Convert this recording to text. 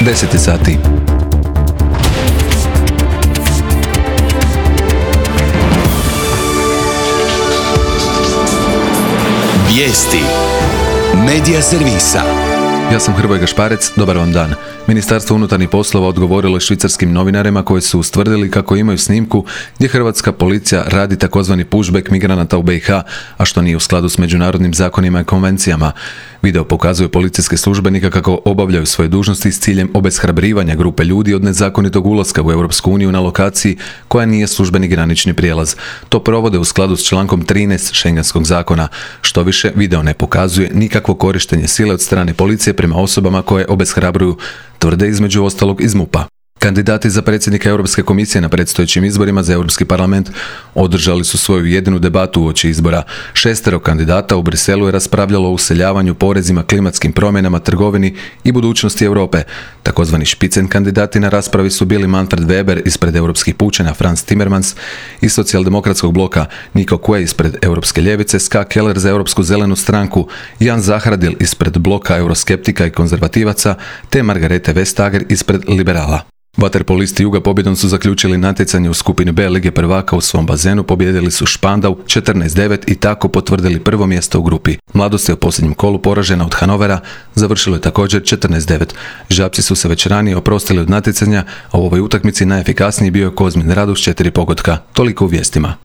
10 sati. Vijesti Medija servisa. Ja sam Hrvoje Gašparec, dobar vam dan. Ministarstvo unutarnjih poslova odgovorilo je švicarskim novinarima koji su ustvrdili kako imaju snimku gdje hrvatska policija radi takozvani pushback migranata u BiH, a što nije u skladu s međunarodnim zakonima i konvencijama. Video pokazuje policijske službenika kako obavljaju svoje dužnosti s ciljem obeshrabrivanja grupe ljudi od nezakonitog ulaska u Europsku uniju na lokaciji koja nije službeni granični prijelaz. To provode u skladu s člankom 13 Schengenskog zakona. Što više, video ne pokazuje nikakvo korištenje sile od strane policije prema osobama koje obeshrabruju, tvrde između ostalog iz MUP-a. Kandidati za predsjednika Europske komisije na predstojećim izborima za Europski parlament održali su svoju jedinu debatu uoči izbora. 6 kandidata u Briselu je raspravljalo o useljavanju, porezima, klimatskim promjenama, trgovini i budućnosti Europe. Takozvani špicen kandidati na raspravi su bili Manfred Weber ispred Europskih pučana, Franz Timmermans iz socijaldemokratskog bloka, Nico Quay ispred Europske ljevice, Ska Keller za Europsku zelenu stranku, Jan Zahradil ispred bloka euroskeptika i konzervativaca, te Margarete Vestager ispred liberala. Vaterpolisti Juga pobjedom su zaključili natjecanje u skupini B Lige prvaka u svom bazenu, pobijedili su Špandau 14-9 i tako potvrdili prvo mjesto u grupi. Mladost je u posljednjem kolu poražena od Hanovera, završilo je također 14-9. Žabci su se već ranije oprostili od natjecanja, a u ovoj utakmici najefikasniji bio je Kozmin Radu s 4 pogotka. Toliko u vijestima.